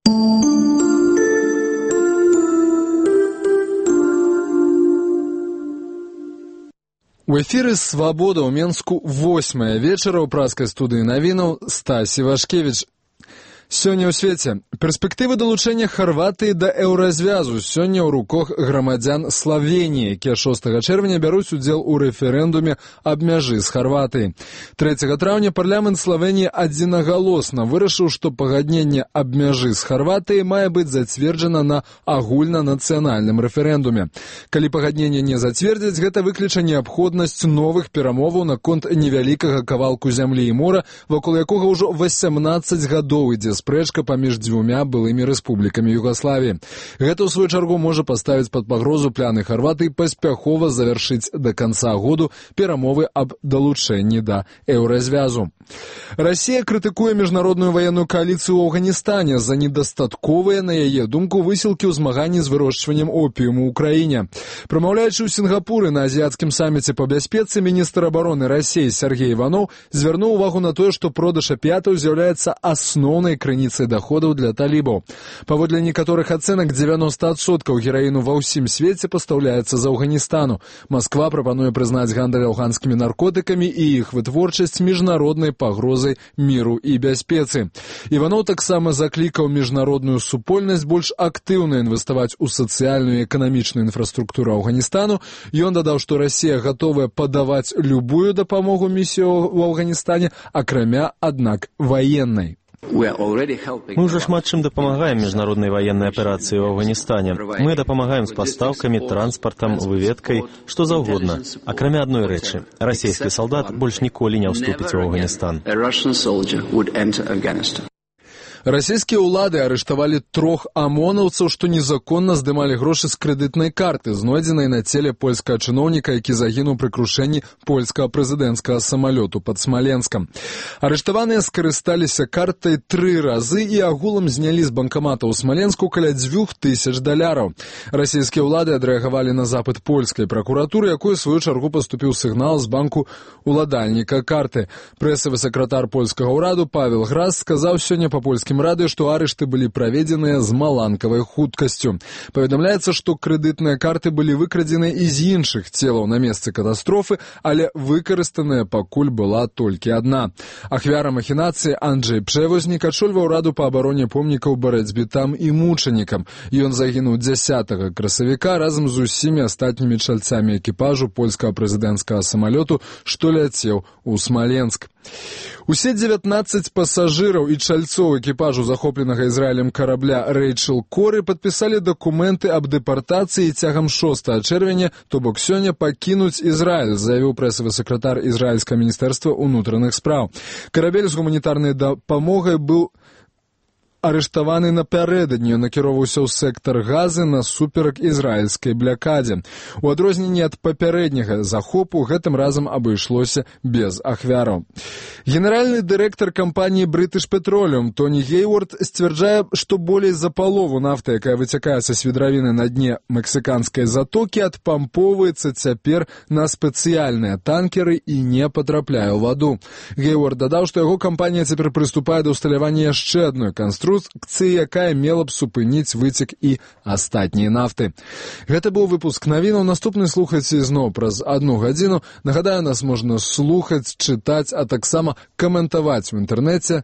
У эфіры «Свабода» ў Менску 8 вечара ў праскай студыі навінаў Стась Івашкевіч. Сёння ў свеце. Перспектывы далучэння Харватыі да еўразвязу сёння ў руках грамадзян Славеніі, якія 6 чэрвеня бяруць удзел у рэферэндуме аб мяжы з Харватыяй. 3 траўня парламент Славеніі адзінагалосна вырашыў, што пагадненне аб мяжы з Харватыяй мае быць зацверджана на агульнанацыянальным рэферэндуме. Калі пагадненне не зацвердзяць, гэта выкліча неабходнасць новых перамоваў наконт невялікага кавалку зямлі і мора, вакол якога ўжо 18 гадоў ідзе спрэчка паміж дзвюмя былымі рэспублікамі Югаславіі. Гэта, ў сваю чаргу, можа паставіць пад пагрозу пляны Харватыі паспяхова завяршыць да канца году перамовы аб далучэнні да еўразвязу. Расія крытыкуе міжнародную ваенную кааліцыю ў Афганістане за недастатковыя, на яе думку, высілкі ў змаганні з вырошчваннем опіуму ў краіне. Прамаўляючы ў Сінгапуры на азіяцкім саміце па бяспецы, міністр абароны Расіі Сергей Іванов звярнуў увагу на тое, што продаж апіятаў з'яўляецца асноўнай крыніцай даходаў для талібаў. Паводле некаторых ацэнак, 90% гераіну ва ўсім свеце пастаўляецца з Афганістану. Масква прапануе прызнаць гандаль афганскімі наркотыкамі і іх вытворчасць міжнароднай пагрозай міру і бяспецы. Іванов таксама заклікаў міжнародную супольнасць больш актыўна інвеставаць у сацыяльную і эканамічную інфраструктуру Афганістану. Ён дадаў, што Расія гатовая падаваць любую дапамогу місію ў Афганістане, акрамя, аднак, ваеннай. Мы уже шмат чым дапамагаем міжнароднай ваеннай аперацыі ў Афганістане. Мы дапамагаем з пастаўкамі, транспартам, выведкай, што заўгодна. Акрамя адной рэчы, расійскі салдат больш ніколі не ўступіць у Афганістан. Расійскія ўлады арыштавалі 3 амонаўцаў, што незаконна здымалі грошы з крэдытнай карты, знойдзенай на целе польскага чыноўніка, які загінуў пры крушэнні польскага прэзідэнцкага самалёту пад Смаленскам. Арыштаваныя скарысталіся картай 3 разы і агулам знялі з банкамата ў Смаленску каля $2000. Расійскія ўлады адрэагавалі на запыт польскай пракуратуры, якой, у сваю чаргу, паступіў сігнал з банку уладальніка карты. Прэсавы сакратар польскага ўраду Павел Грас сказаў сёння па польскім радыё, што арышты былі праведзеныя з маланкавай хуткасцю. Паведамляецца, што крэдытныя карты былі выкрадзены і з іншых целаў на месцы катастрофы, але выкарыстаная пакуль была толькі адна. Ахвяра махінацыі Анджэй Пшэвознік ачольваў раду па абароне помнікаў барацьбітам і мучанікам. Ён загінуў 10 красавіка разам з усімі астатнімі чальцамі экіпажу польскага прэзідэнцкага самалёту, што ляцеў у Смаленск. Усе 19 пасажыраў і чальцоў экіпажу захопленага Ізраілем карабля Рэйчэл Коры падпісалі дакументы аб дэпартацыі цягам 6 чэрвеня, то бок сёння пакінуць Ізраіль, заявіў прэсавы сакратар ізраільскага міністэрства ўнутраных спраў. Карабель з гуманітарнай дапамогай быў арыштаваны напярэдадні, накіроўваўся ў сектар Газы насуперак ізраільскай блякадзе. У адрозненні ад папярэдняга захопу гэтым разам абышлося без ахвяраў. Генеральны дырэктар кампаніі British Petroleum Тоні Гейвард сцвярджае, што болей за палову нафты, якая выцякае са свідравіны на дне мексіканскай затокі, адпампоўваецца цяпер на спецыяльныя танкеры і не патрапляе ў ваду. Гейвард дадаў, што яго кампанія цяпер прыступае да ўсталявання яшчэ адной конструкцыі, якая мела б супыніць выцек і астатнія нафты. Гэта быў выпуск навінаў. Наступны слухайце зноў праз 1 гадзіну. Нагадаю, нас можна слухаць, чытаць, а таксама каментаваць у інтэрнэце